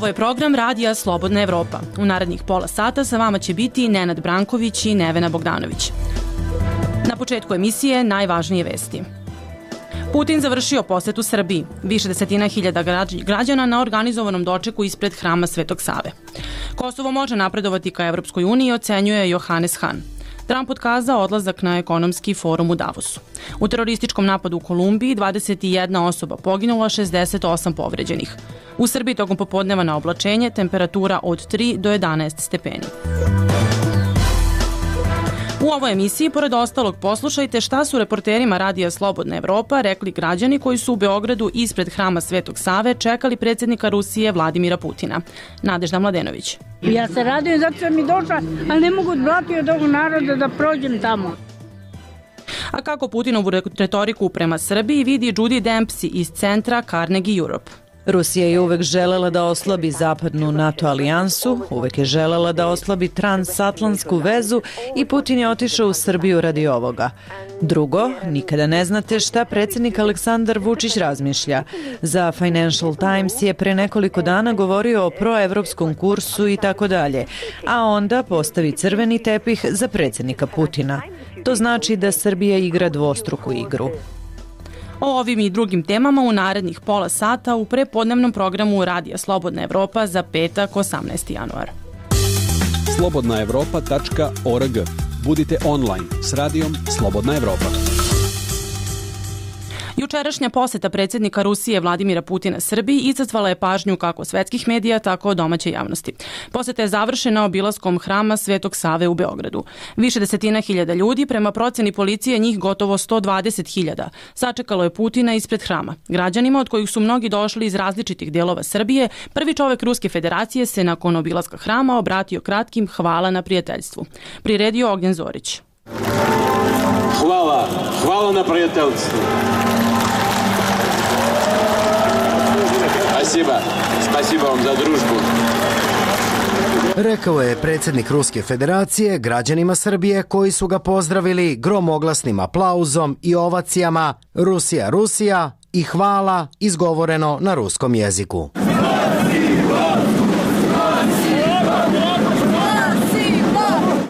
Ovo je program Radija Slobodna Evropa. U narednih pola sata sa vama će biti Nenad Branković i Nevena Bogdanović. Na početku emisije najvažnije vesti. Putin završio posetu Srbiji. Više desetina hiljada građana na organizovanom dočeku ispred hrama Svetog Save. Kosovo može napredovati ka Evropskoj uniji, ocenjuje Johannes Hahn. Trump otkazao odlazak na ekonomski forum u Davosu. U terorističkom napadu u Kolumbiji 21 osoba poginula, 68 povređenih. U Srbiji tokom popodneva na oblačenje temperatura od 3 do 11 stepeni. U ovoj emisiji, pored ostalog, poslušajte šta su reporterima Radija Slobodna Evropa rekli građani koji su u Beogradu ispred hrama Svetog Save čekali predsjednika Rusije Vladimira Putina. Nadežda Mladenović. Ja se radujem zato što mi došla, ali ne mogu odblatiti od ovog naroda da prođem tamo. A kako Putinovu retoriku prema Srbiji vidi Judy Dempsey iz centra Carnegie Europe. Rusija je uvek želela da oslabi zapadnu NATO alijansu, uvek je želela da oslabi transatlantsku vezu i Putin je otišao u Srbiju radi ovoga. Drugo, nikada ne znate šta predsjednik Aleksandar Vučić razmišlja. Za Financial Times je pre nekoliko dana govorio o proevropskom kursu i tako dalje, a onda postavi crveni tepih za predsjednika Putina. To znači da Srbija igra dvostruku igru. O ovim i drugim temama u narednih pola sata u prepodnevnom programu Radija Slobodna Evropa za petak 18. januar. slobodnaevropa.org. Budite online s radijom Slobodna Evropa. Jučerašnja poseta predsjednika Rusije Vladimira Putina Srbiji izazvala je pažnju kako svetskih medija, tako domaće javnosti. Poseta je završena obilaskom hrama Svetog Save u Beogradu. Više desetina hiljada ljudi, prema proceni policije njih gotovo 120.000, sačekalo je Putina ispred hrama. Građanima, od kojih su mnogi došli iz različitih delova Srbije, prvi čovek Ruske federacije se nakon obilaska hrama obratio kratkim hvala na prijateljstvu. Priredio Ognjen Zorić. Hvala na prijateljstvu. Spasiba vam za družbu. Rekao je predsjednik Ruske federacije građanima Srbije koji su ga pozdravili gromoglasnim aplauzom i ovacijama Rusija, Rusija i hvala izgovoreno na ruskom jeziku.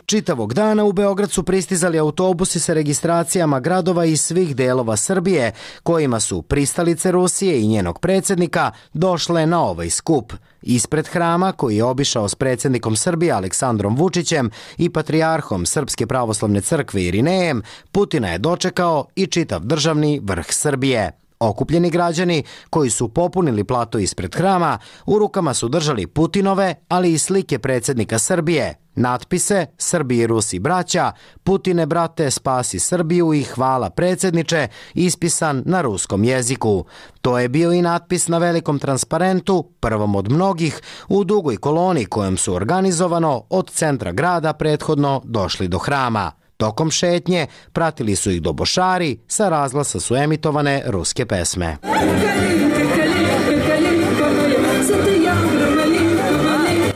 Čitavog dana u Beograd su pristizali autobusi sa registracijama gradova iz svih delova Srbije, kojima su pristalice Rusije i njenog predsjednika došle na ovaj skup. Ispred hrama, koji je obišao s predsjednikom Srbije Aleksandrom Vučićem i patrijarhom Srpske pravoslavne crkve Irinejem, Putina je dočekao i čitav državni vrh Srbije. Okupljeni građani koji su popunili plato ispred hrama, u rukama su držali Putinove, ali i slike predsjednika Srbije, natpise Srbi i Rusi braća, Putine brate spasi Srbiju i hvala predsjedniče, ispisan na ruskom jeziku. To je bio i natpis na velikom transparentu, prvom od mnogih, u dugoj koloni kojom su organizovano od centra grada prethodno došli do hrama. Tokom šetnje pratili su ih dobošari, sa razglasa su emitovane ruske pesme.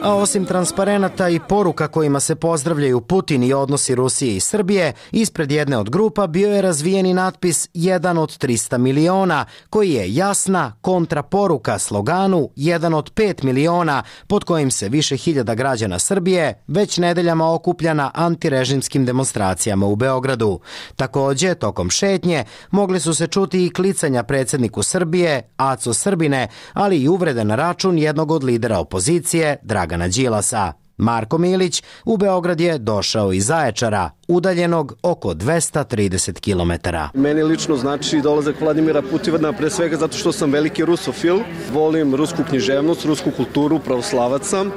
A osim transparenata i poruka kojima se pozdravljaju Putin i odnosi Rusije i Srbije, ispred jedne od grupa bio je razvijeni natpis 1 od 300 miliona, koji je jasna kontraporuka sloganu 1 od 5 miliona, pod kojim se više hiljada građana Srbije već nedeljama okuplja na antirežimskim demonstracijama u Beogradu. Takođe, tokom šetnje mogli su se čuti i klicanja predsjedniku Srbije, Aco Srbine, ali i uvrede na račun jednog od lidera opozicije, Dragana Đilasa. Marko Milić u Beograd je došao iz Zaječara, udaljenog oko 230 km. Meni lično znači dolazak Vladimira Putina pre svega zato što sam veliki rusofil, volim rusku književnost, rusku kulturu, pravoslavac sam,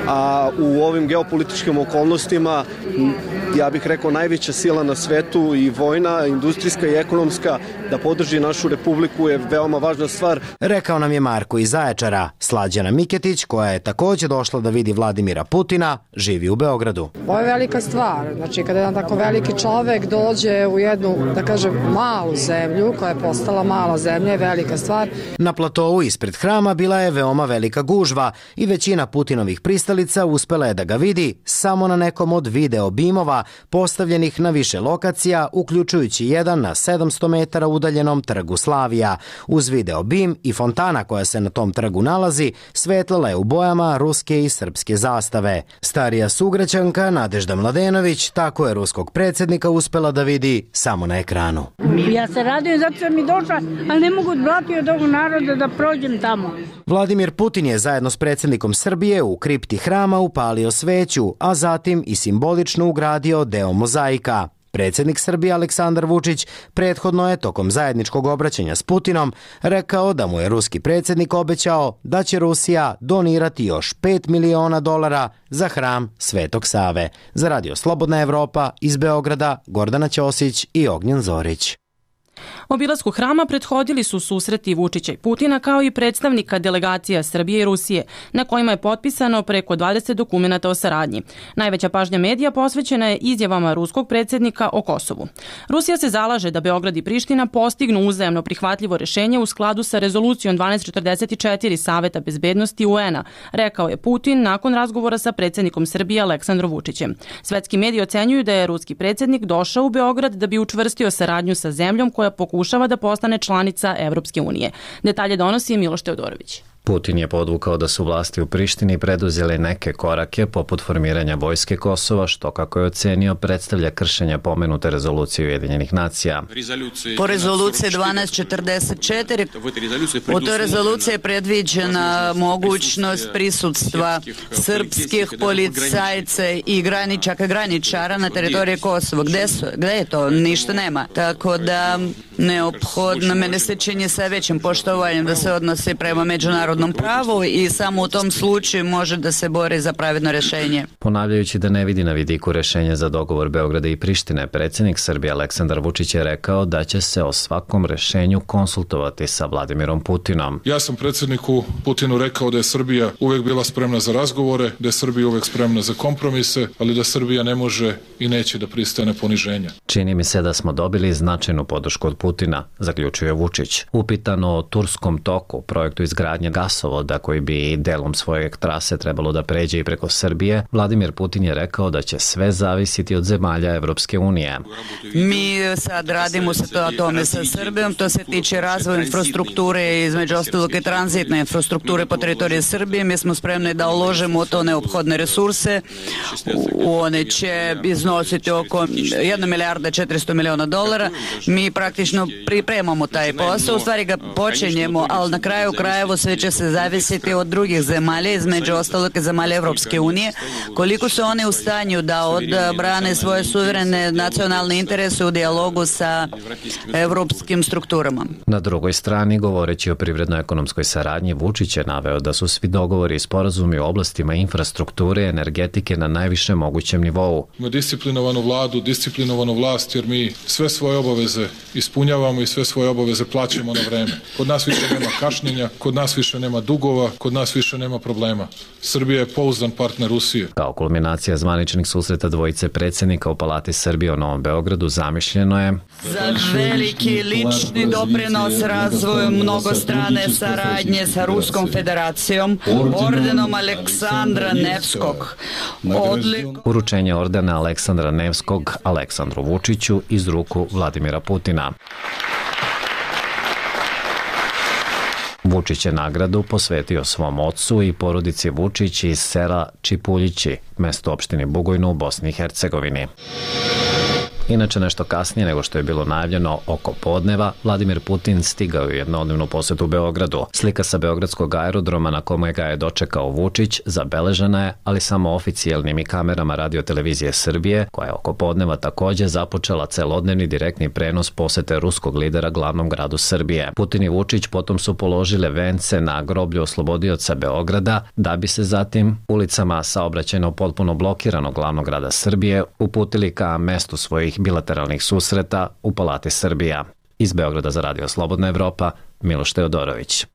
a u ovim geopolitičkim okolnostima ja bih rekao najveća sila na svetu i vojna, industrijska i ekonomska da podrži našu republiku je veoma važna stvar. Rekao nam je Marko iz Zaječara. Slađana Miketić, koja je takođe došla da vidi Vladimira Putina, živi u Beogradu. Ovo je velika stvar, znači kada jedan tako veliki čovek dođe u jednu, da kažem, malu zemlju koja je postala mala zemlja je velika stvar. Na platovu ispred hrama bila je veoma velika gužva i većina Putinovih pristalica uspela je da ga vidi samo na nekom od video bimova postavljenih na više lokacija, uključujući jedan na 700 metara udaljenom trgu Slavija. Uz video bim i fontana koja se na tom trgu nalazi, svetlala je u bojama ruske i srpske zastave. Starija sugrađanka Nadežda Mladenović tako je ruskog predsjednika uspela da vidi samo na ekranu. Ja se radujem zato sam i došla, ali ne mogu odblatiti od ovog naroda da prođem tamo. Vladimir Putin je zajedno s predsjednikom Srbije u kripti hrama upalio sveću, a zatim i simbolično ugradio deo mozaika. Predsjednik Srbije Aleksandar Vučić prethodno je tokom zajedničkog obraćanja s Putinom rekao da mu je ruski predsjednik obećao da će Rusija donirati još $5 miliona za hram Svetog Save. Za Radio Slobodna Evropa iz Beograda Gordana Ćosić i Ognjen Zorić. Obilasku hrama prethodili su susreti Vučića i Putina kao i predstavnika delegacija Srbije i Rusije, na kojima je potpisano preko 20 dokumenata o saradnji. Najveća pažnja medija posvećena je izjavama ruskog predsjednika o Kosovu. Rusija se zalaže da Beograd i Priština postignu uzajamno prihvatljivo rešenje u skladu sa rezolucijom 1244 Saveta bezbednosti UN-a, rekao je Putin nakon razgovora sa predsjednikom Srbije Aleksandrom Vučićem. Svetski mediji ocenjuju da je ruski predsjednik došao u Beograd da bi učvrstio saradnju sa zemljom koja pokušava da postane članica Evropske unije. Detalje donosi Miloš Teodorović. Putin je podvukao da su vlasti u Prištini preduzele neke korake poput formiranja vojske Kosova, što, kako je ocenio, predstavlja kršenje pomenute rezolucije Ujedinjenih nacija. Po rezoluciji 1244 u toj rezoluciji je predviđena mogućnost prisutstva srpskih policajca i graničara na teritoriji Kosova. Gde je to? Ništa nema. Tako da neophodno, mene se čini sa većim poštovanjem da se odnosi prema međunarodnom pravu i samo u tom slučaju može da se bori za pravedno rešenje. Ponavljajući da ne vidi na vidiku rešenje za dogovor Beograda i Prištine, predsjednik Srbije Aleksandar Vučić je rekao da će se o svakom rešenju konsultovati sa Vladimirom Putinom. Ja sam predsjedniku Putinu rekao da je Srbija uvek bila spremna za razgovore, da je Srbija uvek spremna za kompromise, ali da Srbija ne može i neće da pristane poniženja. Čini mi se da smo dobili značajnu podršku od Putina, zaključuje Vučić. Upitano o Turskom toku, projektu izgradnje gasovoda koji bi delom svoje trase trebalo da pređe i preko Srbije, Vladimir Putin je rekao da će sve zavisiti od zemalja Evropske unije. Mi sad radimo sa tome sa Srbijom, to se tiče razvoja infrastrukture, između ostalog i tranzitne infrastrukture po teritoriji Srbije. Mi smo spremni da uložimo to neophodne resurse. One će iznositi oko 1 milijarda $400 miliona. Mi praktično pripremamo taj posao, u stvari ga počinjemo, ali na kraju krajeva sve će se zavisiti od drugih zemalja, između ostalog i zemalja Evropske unije, koliko su one u stanju da odbrane svoje suverene nacionalne interese u dijalogu sa evropskim strukturama. Na drugoj strani, govoreći o privredno-ekonomskoj saradnji, Vučić je naveo da su svi dogovori i sporazumi u oblastima infrastrukture i energetike na najvišem mogućem nivou. Ima disciplinovanu vladu, disciplinovanu vlast, jer mi sve svoje obaveze ispunjavamo i sve svoje obaveze plaćamo na vreme. Kod nas više nema kašnjenja, kod nas više nema dugova, kod nas više nema problema. Srbija je pouzdan partner Rusije. Kao kulminacija zvaničnih susreta dvojice predsjednika u Palati Srbije u Novom Beogradu zamišljeno je za veliki lični doprinos razvoju mnogostrane saradnje sa Ruskom federacijom ordenom Aleksandra Nevskog. Uručenje ordena Aleksandra Nevskog Aleksandru Vučiću iz ruku Vladimira Putina. Vučić je nagradu posvetio svom ocu i porodici Vučić iz sela Čipuljići, mesto opštine Bugojno u Bosni i Hercegovini. Inače, nešto kasnije nego što je bilo najavljeno oko podneva, Vladimir Putin stigao je u jednodnevnu posetu u Beogradu. Slika sa beogradskog aerodroma na kome ga je dočekao Vučić zabeležena je, ali samo oficijalnim i kamerama Radio-televizije Srbije, koja je oko podneva takođe započela celodnevni direktni prenos posete ruskog lidera glavnom gradu Srbije. Putin i Vučić potom su položile vence na groblju oslobodioca Beograda, da bi se zatim ulicama saobraćajno potpuno blokiranog glavnog grada Srbije uputili ka mestu svojih bilateralnih susreta u Palati Srbija. Iz Beograda za Radio Slobodna Evropa, Miloš Teodorović.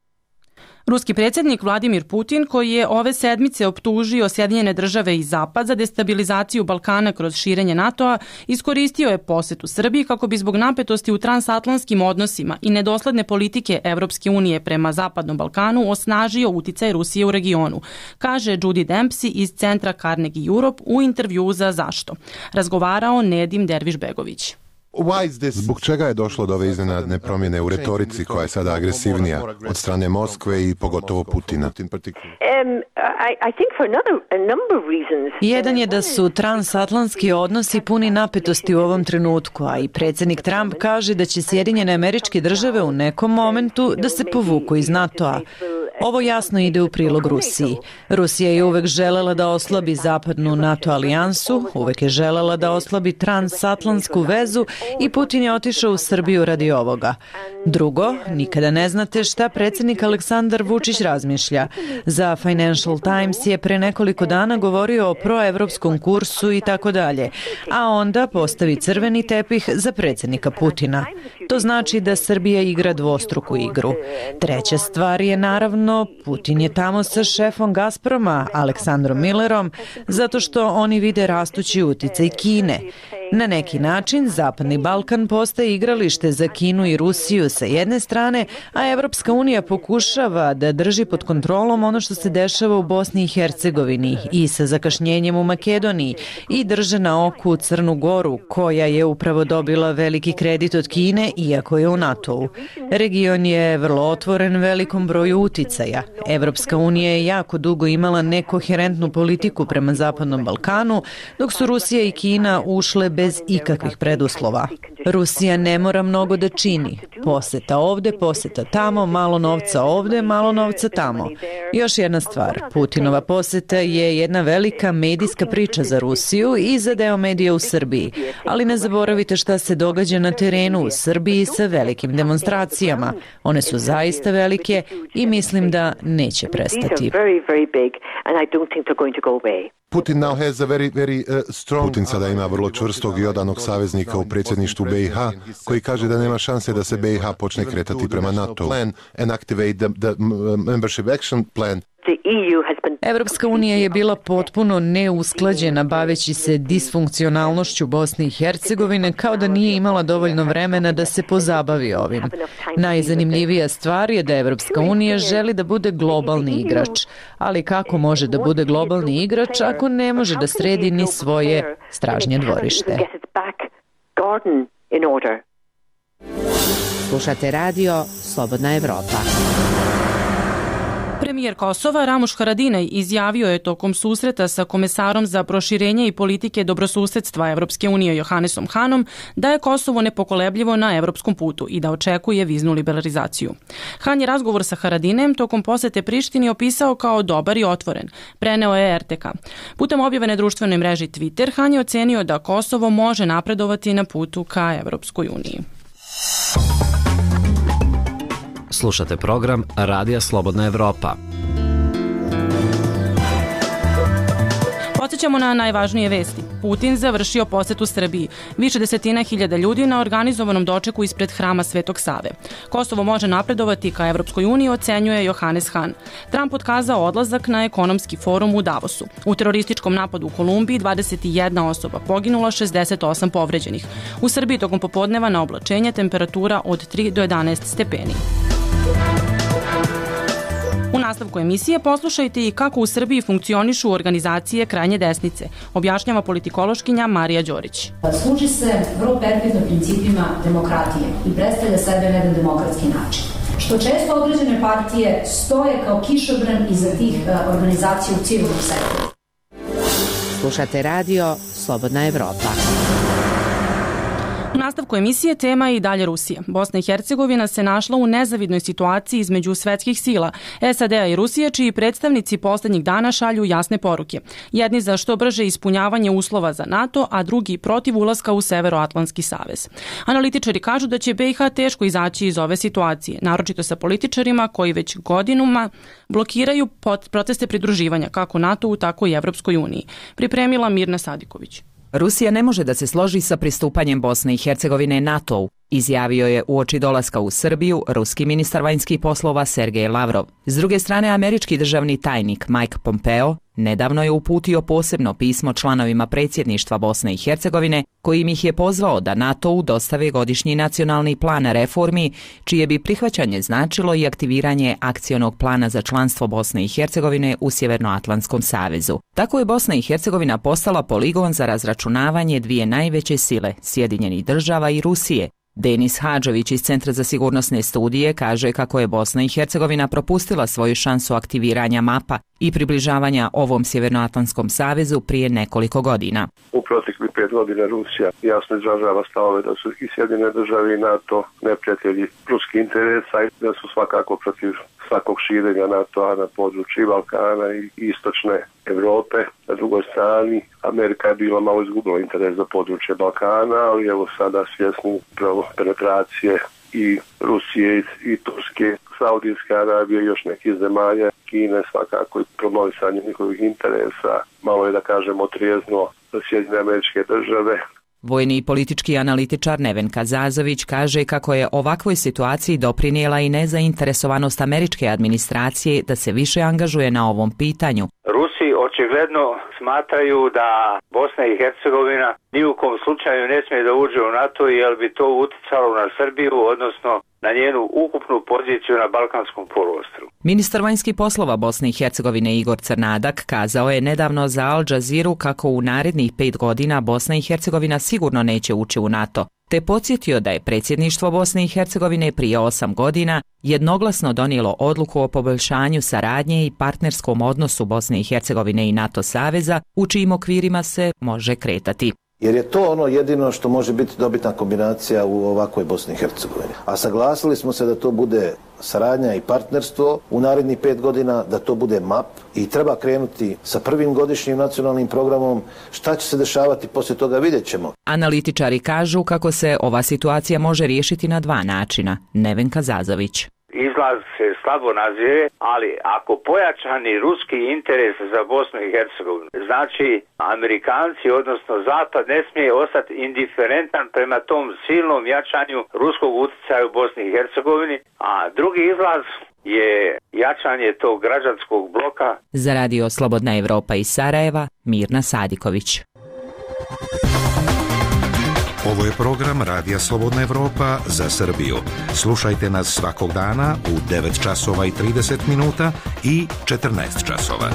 Ruski predsjednik Vladimir Putin, koji je ove sedmice optužio Sjedinjene države i Zapad za destabilizaciju Balkana kroz širenje NATO-a, iskoristio je posetu Srbiji kako bi zbog napetosti u transatlantskim odnosima i nedosledne politike Evropske unije prema Zapadnom Balkanu osnažio uticaj Rusije u regionu, kaže Judy Dempsey iz centra Carnegie Europe u intervjuu za Zašto. Razgovarao Nedim Derviš-Begović. Zbog čega je došlo do ove iznenadne promjene u retorici koja je sada agresivnija od strane Moskve i pogotovo Putina? Jedan je da su transatlantski odnosi puni napetosti u ovom trenutku, a i predsjednik Trump kaže da će Sjedinjene Američke Države u nekom momentu da se povuku iz NATO-a. Ovo jasno ide u prilog Rusiji. Rusija je uvek želela da oslabi zapadnu NATO alijansu, uvek je želela da oslabi transatlantsku vezu i Putin je otišao u Srbiju radi ovoga. Drugo, nikada ne znate šta predsjednik Aleksandar Vučić razmišlja. Za Financial Times je pre nekoliko dana govorio o proevropskom kursu i tako dalje, a onda postavi crveni tepih za predsjednika Putina. To znači da Srbija igra dvostruku igru. Treća stvar je naravno, Putin je tamo sa šefom Gazproma, Aleksandrom Millerom, zato što oni vide rastući uticaj Kine. Na neki način, Zapadni Balkan postaje igralište za Kinu i Rusiju sa jedne strane, a Evropska unija pokušava da drži pod kontrolom ono što se dešava u Bosni i Hercegovini i sa zakašnjenjem u Makedoniji i drže na oku Crnu Goru, koja je upravo dobila veliki kredit od Kine, iako je u NATO-u. Region je vrlo otvoren velikom broju uticaja. Evropska unija je jako dugo imala nekoherentnu politiku prema Zapadnom Balkanu, dok su Rusija i Kina ušle bez ikakvih preduslova. Rusija ne mora mnogo da čini. Poseta ovde, poseta tamo, malo novca ovde, malo novca tamo. Još jedna stvar, Putinova poseta je jedna velika medijska priča za Rusiju i za deo medija u Srbiji. Ali ne zaboravite šta se događa na terenu u Srbiji sa velikim demonstracijama. One su zaista velike i mislim da neće prestati. Putin sada ima vrlo čvrstog i odanog saveznika u predsjedništvu BiH, koji kaže da nema šanse da se BiH počne kretati prema NATO. Evropska unija je bila potpuno neusklađena baveći se disfunkcionalnošću Bosne i Hercegovine, kao da nije imala dovoljno vremena da se pozabavi ovim. Najzanimljivija stvar je da Evropska unija želi da bude globalni igrač, ali kako može da bude globalni igrač ako ne može da sredi ni svoje stražnje dvorište? Slušate radio Slobodna Evropa. Premijer Kosova Ramuš Haradinaj izjavio je tokom susreta sa komesarom za proširenje i politike dobrosusedstva Evropske unije Johannesom Hanom da je Kosovo nepokolebljivo na evropskom putu i da očekuje viznu liberalizaciju. Han je razgovor sa Haradinajem tokom posete Prištini opisao kao dobar i otvoren, preneo je RTK. Putem objave na društvenoj mreži Twitter, Han je ocenio da Kosovo može napredovati na putu ka Evropskoj uniji. Slušate program Radija Slobodna Evropa. Podsjećamo na najvažnije vesti. Putin završio posetu Srbiji. Više desetina hiljada ljudi na organizovanom dočeku ispred hrama Svetog Save. Kosovo može napredovati ka Evropskoj uniji, ocenjuje Johannes Han. Trump otkazao odlazak na ekonomski forum u Davosu. U terorističkom napadu u Kolumbiji 21 osoba poginula, 68 povređenih. U Srbiji tokom popodneva na oblačenje temperatura od 3 do 11 stepeni. U nastavku emisije poslušajte i kako u Srbiji funkcionišu organizacije krajnje desnice, objašnjava politikološkinja Marija Đorić. Služi se vrlo perfidno principima demokratije i predstavlja sebe na jedan demokratski način. Što često određene partije stoje kao kišobran iza tih organizacija u civilnom sektoru. Slušate radio Slobodna Evropa. U nastavku emisije tema je i dalje Rusija. Bosna i Hercegovina se našla u nezavidnoj situaciji između svetskih sila, SAD-a i Rusije, čiji predstavnici poslednjih dana šalju jasne poruke. Jedni za što brže ispunjavanje uslova za NATO, a drugi protiv ulaska u Severoatlantski savez. Analitičari kažu da će BiH teško izaći iz ove situacije, naročito sa političarima koji već godinama blokiraju procese pridruživanja kako NATO-u, tako i Evropskoj uniji. Pripremila Mirna Sadiković. Rusija ne može da se složi sa pristupanjem Bosne i Hercegovine NATO-u. izjavio je uoči dolaska u Srbiju ruski ministar vanjskih poslova Sergej Lavrov. S druge strane, američki državni tajnik Mike Pompeo nedavno je uputio posebno pismo članovima predsjedništva Bosne i Hercegovine, kojim ih je pozvao da NATO-u dostave godišnji nacionalni plan reformi, čije bi prihvaćanje značilo i aktiviranje akcionog plana za članstvo Bosne i Hercegovine u Sjevernoatlantskom savezu. Tako je Bosna i Hercegovina postala poligon za razračunavanje dvije najveće sile, Sjedinjenih država i Rusije. Denis Hadžović iz Centra za sigurnosne studije kaže kako je Bosna i Hercegovina propustila svoju šansu aktiviranja mapa i približavanja ovom Sjevernoatlantskom savezu prije nekoliko godina. U proteklih 5 godina Rusija jasno izražava stavove da su i Sjedinjene države i NATO neprijatelji ruskih interesa i da su svakako protiv svakog širenja NATO-a na području Balkana i istočne Evrope. Na drugoj strani, Amerika je bila malo izgubila interes za područje Balkana, ali evo sada svjesni upravo penetracije i Rusije i Turske, Saudijske Arabije i još nekih zemalja, Kine svakako i promovisanje njihovih interesa, malo je da kažemo trijezno za Sjedinjene Američke Države. Vojni i politički analitičar Nevenka Zazović kaže kako je ovakvoj situaciji doprinijela i nezainteresovanost američke administracije da se više angažuje na ovom pitanju. Rusi očigledno smatraju da Bosna i Hercegovina ni u kom slučaju ne smije da uđe u NATO jer bi to uticalo na Srbiju, odnosno na njenu ukupnu poziciju na Balkanskom poluostrvu. Ministar vanjskih poslova Bosne i Hercegovine Igor Crnadak kazao je nedavno za Al Jazeeru kako u narednih 5 godina Bosna i Hercegovina sigurno neće ući u NATO, te podsjetio da je predsjedništvo Bosne i Hercegovine prije 8 godina jednoglasno donijelo odluku o poboljšanju saradnje i partnerskom odnosu Bosne i Hercegovine i NATO saveza, u čijim okvirima se može kretati. Jer je to ono jedino što može biti dobitna kombinacija u ovakvoj Bosni i Hercegovini. A saglasili smo se da to bude saradnja i partnerstvo u narednih 5 godina, da to bude MAP i treba krenuti sa prvim godišnjim nacionalnim programom. Šta će se dešavati poslije toga vidjet ćemo. Analitičari kažu kako se ova situacija može riješiti na 2 načina. Nevenka Zazović. Izlaz se slabo nazire, ali ako pojačani ruski interes za Bosnu i Hercegovinu, znači Amerikanci, odnosno Zapad, ne smije ostati indiferentan prema tom silnom jačanju ruskog utjecaja u Bosni i Hercegovini, a drugi izlaz je jačanje tog građanskog bloka. Za Radio Slobodna Evropa iz Sarajeva, Mirna Sadiković. Ovo je program Radija Slobodna Evropa za Srbiju. Slušajte nas svakog dana u 9 časova i 30 minuta i 14 časova.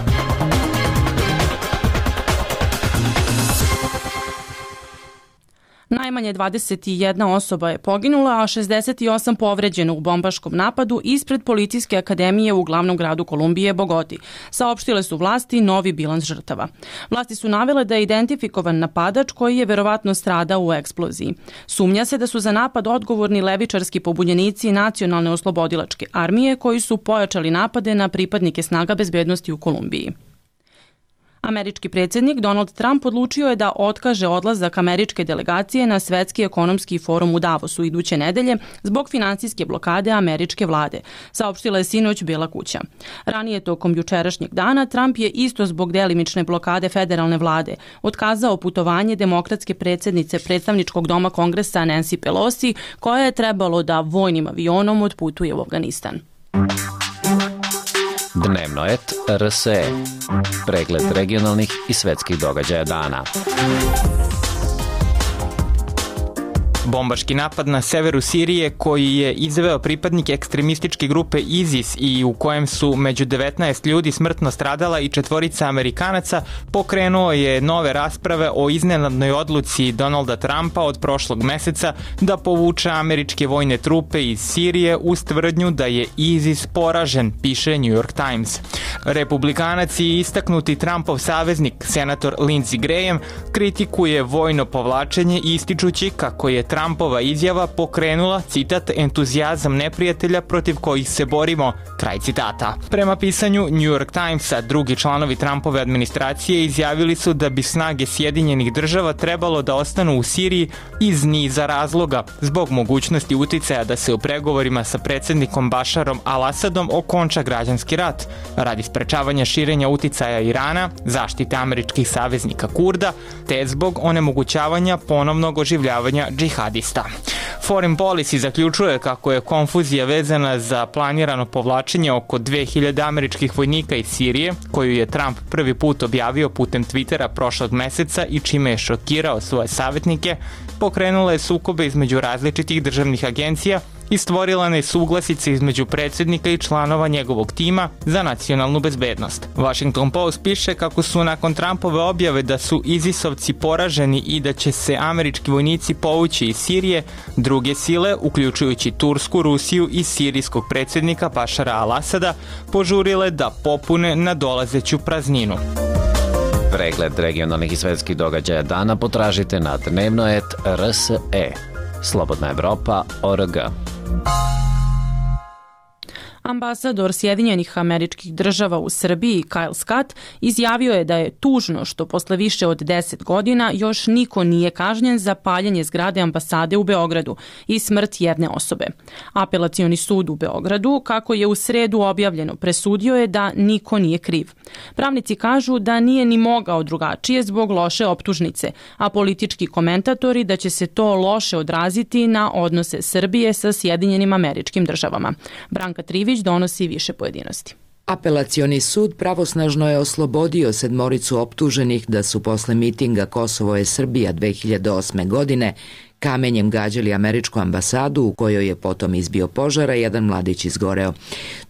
Najmanje 21 osoba je poginula, a 68 povređeno u bombaškom napadu ispred Policijske akademije u glavnom gradu Kolumbije, Bogoti. Saopštile su vlasti novi bilans žrtava. Vlasti su navele da je identifikovan napadač koji je verovatno stradao u eksploziji. Sumnja se da su za napad odgovorni levičarski pobunjenici Nacionalne oslobodilačke armije koji su pojačali napade na pripadnike snaga bezbednosti u Kolumbiji. Američki predsjednik Donald Trump odlučio je da otkaže odlazak američke delegacije na Svetski ekonomski forum u Davosu iduće nedelje zbog finansijske blokade američke vlade, saopštila je sinoć Bijela kuća. Ranije tokom jučerašnjeg dana Trump je isto zbog delimične blokade federalne vlade otkazao putovanje demokratske predsjednice predstavničkog doma Kongresa Nancy Pelosi, koja je trebalo da vojnim avionom otputuje u Afganistan. Dnevnoet RSE. Pregled regionalnih i svetskih događaja dana. Bombaški napad na severu Sirije koji je izveo pripadnik ekstremističke grupe ISIS i u kojem su među 19 ljudi smrtno stradala i 4 Amerikanaca pokrenuo je nove rasprave o iznenadnoj odluci Donalda Trumpa od prošlog meseca da povuče američke vojne trupe iz Sirije uz tvrdnju da je ISIS poražen, piše New York Times. Republikanac i istaknuti Trumpov saveznik, senator Lindsey Graham, kritikuje vojno povlačenje ističući kako je Trumpova izjava pokrenula, citat, entuzijazam neprijatelja protiv kojih se borimo, kraj citata. Prema pisanju New York Timesa, drugi članovi Trumpove administracije izjavili su da bi snage Sjedinjenih država trebalo da ostanu u Siriji iz niza razloga, zbog mogućnosti uticaja da se u pregovorima sa predsjednikom Bašarom al-Asadom okonča građanski rat, radi sprečavanja širenja uticaja Irana, zaštite američkih saveznika Kurda, te zbog onemogućavanja ponovnog oživljavanja džihadista. Foreign Policy zaključuje kako je konfuzija vezana za planirano povlačenje oko 2000 američkih vojnika iz Sirije, koju je Trump prvi put objavio putem Twittera prošlog meseca i čime je šokirao svoje savjetnike, pokrenula je sukobe između različitih državnih agencija i stvorila nesuglasice između predsjednika i članova njegovog tima za nacionalnu bezbednost. Washington Post piše kako su nakon Trumpove objave da su ISIS-ovci poraženi i da će se američki vojnici povući iz Sirije, druge sile, uključujući Tursku, Rusiju i sirijskog predsjednika Bašara al-Asada, požurile da popune nadolazeću prazninu. Pregled regionalnih i svetskih događaja dana potražite na dnevnoet.rse. Slobodna Evropa.org. Ambasador Sjedinjenih Američkih Država u Srbiji Kyle Scott izjavio je da je tužno što posle više od 10 godina još niko nije kažnjen za paljenje zgrade ambasade u Beogradu i smrt jedne osobe. Apelacioni sud u Beogradu, kako je u sredu objavljeno, presudio je da niko nije kriv. Pravnici kažu da nije ni mogao drugačije zbog loše optužnice, a politički komentatori da će se to loše odraziti na odnose Srbije sa Sjedinjenim Američkim Državama. Branka Trivić donosi više pojedinosti. Apelacioni sud pravosnažno je oslobodio 7 optuženih da su posle mitinga Kosovo je Srbija 2008. godine kamenjem gađali američku ambasadu u kojoj je potom izbio požar, a jedan mladić izgoreo.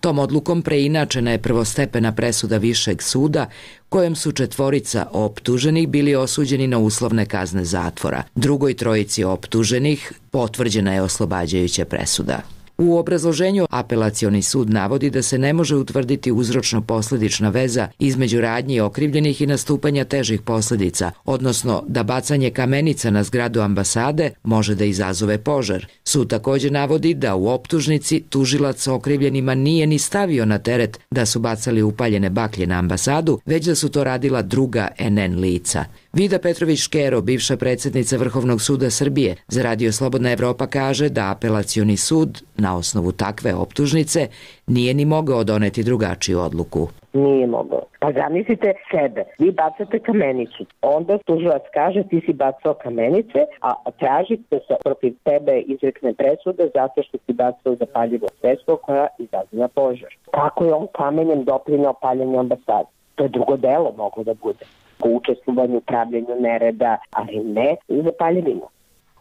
Tom odlukom preinačena je prvostepena presuda Višeg suda kojem su 4 optuženih bili osuđeni na uslovne kazne zatvora. Drugoj 3 optuženih potvrđena je oslobađajuća presuda. U obrazloženju apelacioni sud navodi da se ne može utvrditi uzročno-posledična veza između radnji okrivljenih i nastupanja težih posljedica, odnosno da bacanje kamenica na zgradu ambasade može da izazove požar. Sud također navodi da u optužnici tužilac okrivljenima nije ni stavio na teret da su bacali upaljene baklje na ambasadu, već da su to radila druga NN lica. Vida Petrović-Škero, bivša predsjednica Vrhovnog suda Srbije, za Radio Slobodna Evropa kaže da apelacioni sud na osnovu takve optužnice nije ni mogao doneti drugačiju odluku. Nije mogao. Pa zamislite sebe, vi bacate kamenicu, onda tužilac kaže ti si bacao kamenice, a tražite se protiv tebe izrekne presuda zato što si bacao zapaljivo sredstvo koja izaziva požar. Kako je on kamenjem doprineo paljenju ambasade? To je drugo delo moglo da bude. Po učestvovanju, upravljanju nereda, ali ne za paljevinu.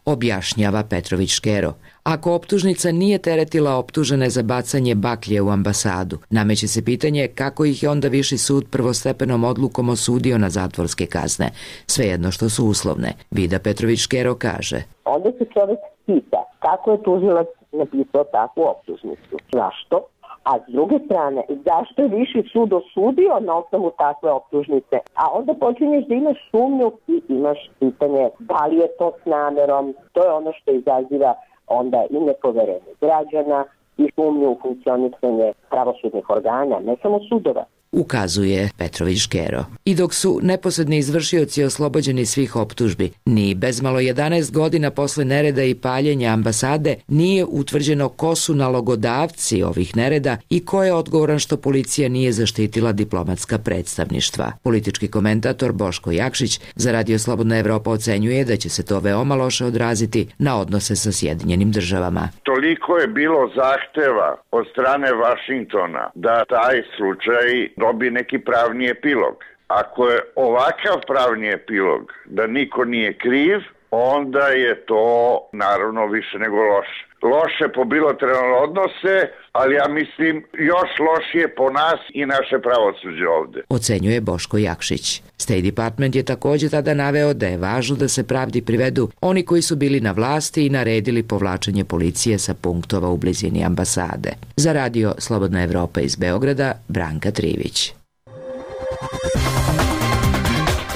Objašnjava Petrović-Škero. Ako optužnica nije teretila optužene za bacanje baklje u ambasadu, nameće se pitanje kako ih je onda Viši sud prvostepenom odlukom osudio na zatvorske kazne, svejedno što su uslovne. Vida Petrović-Škero kaže. Onda se čovjek pita kako je tužilac napisao takvu optužnicu. Zašto? A s druge strane, zašto je Viši sud osudio na osnovu takve optužnice? A onda počinješ da imaš sumnju i imaš pitanje da li je to s namerom. To je ono što izaziva onda i nepoverenje građana i sumnju u funkcionisanje pravosudnih organa, ne samo sudova. Ukazuje Petrović-Škero. I dok su neposredni izvršioci oslobođeni svih optužbi, ni bezmalo 11 godina posle nereda i paljenja ambasade nije utvrđeno ko su nalogodavci ovih nereda i ko je odgovoran što policija nije zaštitila diplomatska predstavništva. Politički komentator Boško Jakšić za Radio Slobodna Evropa ocenjuje da će se to veoma loše odraziti na odnose sa Sjedinjenim Državama. Toliko je bilo zahteva od strane Vašingtona da taj slučaj dobije neki pravni epilog. Ako je ovakav pravni epilog da niko nije kriv, onda je to naravno više nego loše. Loše po bilateralne odnose, ali ja mislim još lošije po nas i naše pravosuđe ovde. Ocenjuje Boško Jakšić. State Department je također tada naveo da je važno da se pravdi privedu oni koji su bili na vlasti i naredili povlačenje policije sa punktova u blizini ambasade. Za Radio Slobodna Evropa iz Beograda, Branka Trivić.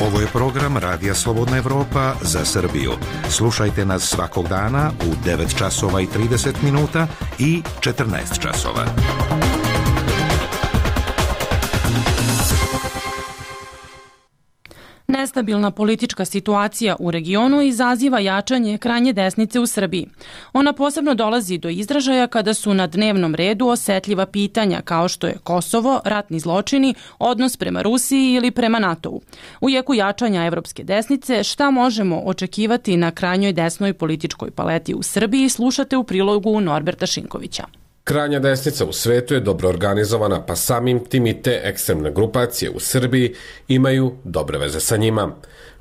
Ovo je program Radija Slobodna Evropa za Srbiju. Slušajte nas svakog dana u 9 časova i 30 minuta i 14 časova. Nestabilna politička situacija u regionu izaziva jačanje krajnje desnice u Srbiji. Ona posebno dolazi do izražaja kada su na dnevnom redu osetljiva pitanja kao što je Kosovo, ratni zločini, odnos prema Rusiji ili prema NATO-u. U jeku jačanja evropske desnice, šta možemo očekivati na krajnjoj desnoj političkoj paleti u Srbiji, slušate u prilogu Norberta Šinkovića. Krajnja desnica u svetu je dobro organizovana, pa samim tim i te ekstremne grupacije u Srbiji imaju dobre veze sa njima.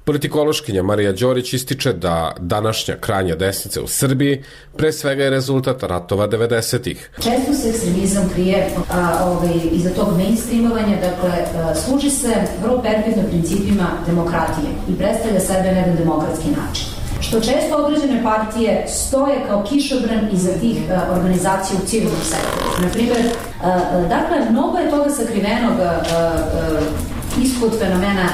Politikološkinja Marija Đorić ističe da današnja krajnja desnica u Srbiji pre svega je rezultat ratova 90-ih. Često se ekstremizam krije iza tog mainstreamovanja, dakle, služi se vrlo perfidno principima demokratije i predstavlja sebe na jedan demokratski način. Što često određene partije stoje kao kišobran iza tih organizacija u civilnom sektoru. Naprimjer, dakle, mnogo je toga sakrivenog ispod fenomena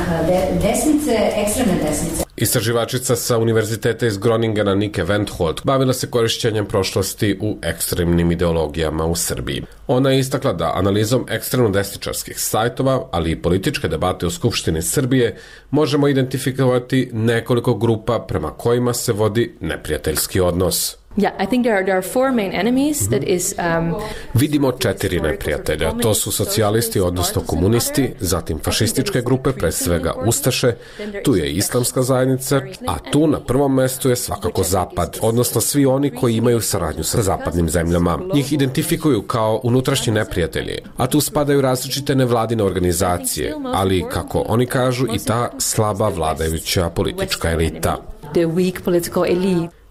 desnice, ekstremne desnice. Istraživačica sa univerziteta iz Groningena Nike Wendholt bavila se korišćenjem prošlosti u ekstremnim ideologijama u Srbiji. Ona je istakla da analizom ekstremno-desničarskih sajtova, ali i političke debate u Skupštini Srbije, možemo identifikovati nekoliko grupa prema kojima se vodi neprijateljski odnos. Vidimo 4 neprijatelja. To su socijalisti, odnosno komunisti, zatim fašističke grupe, pre svega Ustaše, tu je islamska zajednica, a tu na prvom mestu je svakako Zapad, odnosno svi oni koji imaju saradnju sa zapadnim zemljama. Njih identifikuju kao unutrašnji neprijatelji, a tu spadaju različite nevladine organizacije, ali, kako oni kažu, i ta slaba vladajuća politička elita.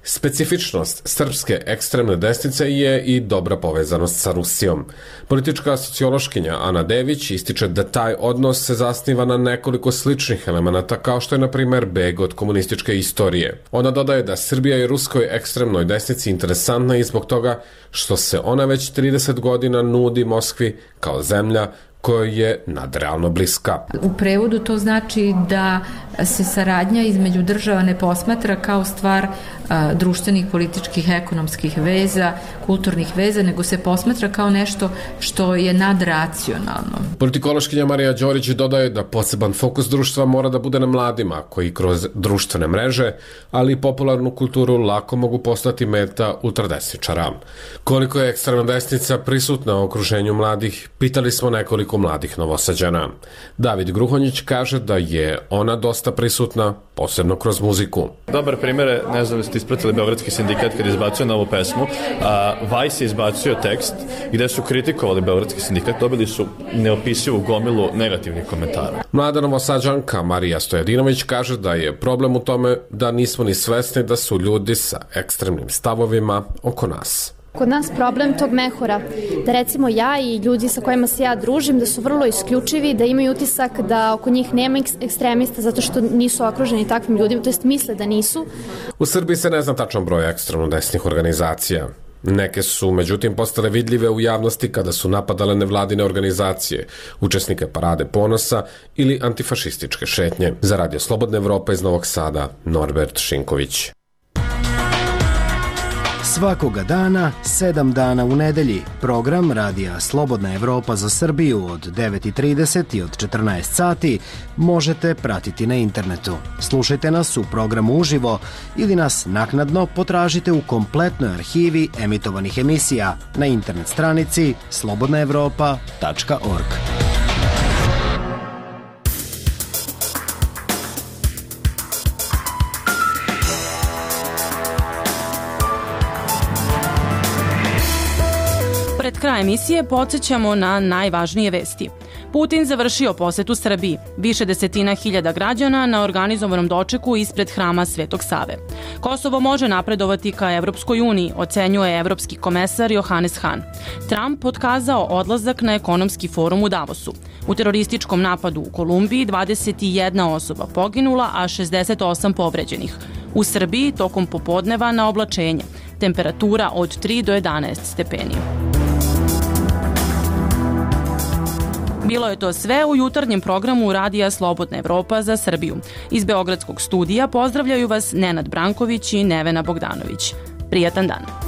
Specifičnost srpske ekstremne desnice je i dobra povezanost sa Rusijom. Politička sociološkinja Ana Dević ističe da taj odnos se zasniva na nekoliko sličnih elemenata, kao što je, na primer, beg od komunističke istorije. Ona dodaje da Srbija je ruskoj ekstremnoj desnici interesantna i zbog toga što se ona već 30 godina nudi Moskvi kao zemlja koja je nadrealno bliska. U prevodu to znači da se saradnja između država ne posmatra kao stvar društvenih, političkih, ekonomskih veza, kulturnih veza, nego se posmatra kao nešto što je nadracionalno. Politikološkinja Marija Đorić dodaje da poseban fokus društva mora da bude na mladima, koji kroz društvene mreže, ali i popularnu kulturu lako mogu postati meta ultradesničara. Koliko je ekstremna desnica prisutna u okruženju mladih, pitali smo nekoliko mladih Novosađana. David Gruhonjić kaže da je ona dosta prisutna, posebno kroz muziku. Dobar primjer je, ne znam da ste ispratili Beogradski sindikat kad izbacio novu pesmu, Vice je izbacio tekst gde su kritikovali Beogradski sindikat, dobili su neopisivu gomilu negativnih komentara. Mlada Novosađanka Marija Stojadinović kaže da je problem u tome da nismo ni svesni da su ljudi sa ekstremnim stavovima oko nas. Kod nas problem tog mehura, da recimo ja i ljudi sa kojima se ja družim, da su vrlo isključivi, da imaju utisak da oko njih nema ekstremista zato što nisu okruženi takvim ljudima, to jest misle da nisu. U Srbiji se ne zna tačan broj ekstremno desnih organizacija. Neke su, međutim, postale vidljive u javnosti kada su napadale nevladine organizacije, učesnike Parade ponosa ili antifašističke šetnje. Za Radio Slobodna Evropa iz Novog Sada, Norbert Šinković. Svakoga dana, 7 dana u nedelji, program Radija Slobodna Evropa za Srbiju od 9:30 i od 14 sati možete pratiti na internetu. Slušajte nas u programu uživo ili nas naknadno potražite u kompletnoj arhivi emitovanih emisija na internet stranici slobodnaevropa.org. Pred kraj emisije podsjećamo na najvažnije vesti. Putin završio posetu Srbiji. Više desetina hiljada građana na organizovanom dočeku ispred hrama Svetog Save. Kosovo može napredovati ka Evropskoj uniji, ocenjuje evropski komesar Johannes Hahn. Trump otkazao odlazak na ekonomski forum u Davosu. U terorističkom napadu u Kolumbiji 21 osoba poginula, a 68 povređenih. U Srbiji tokom popodneva na oblačenje. Temperatura od 3 do 11 stepeni. Bilo je to sve u jutarnjem programu Radija Slobodna Evropa za Srbiju. Iz Beogradskog studija pozdravljaju vas Nenad Branković i Nevena Bogdanović. Prijatan dan.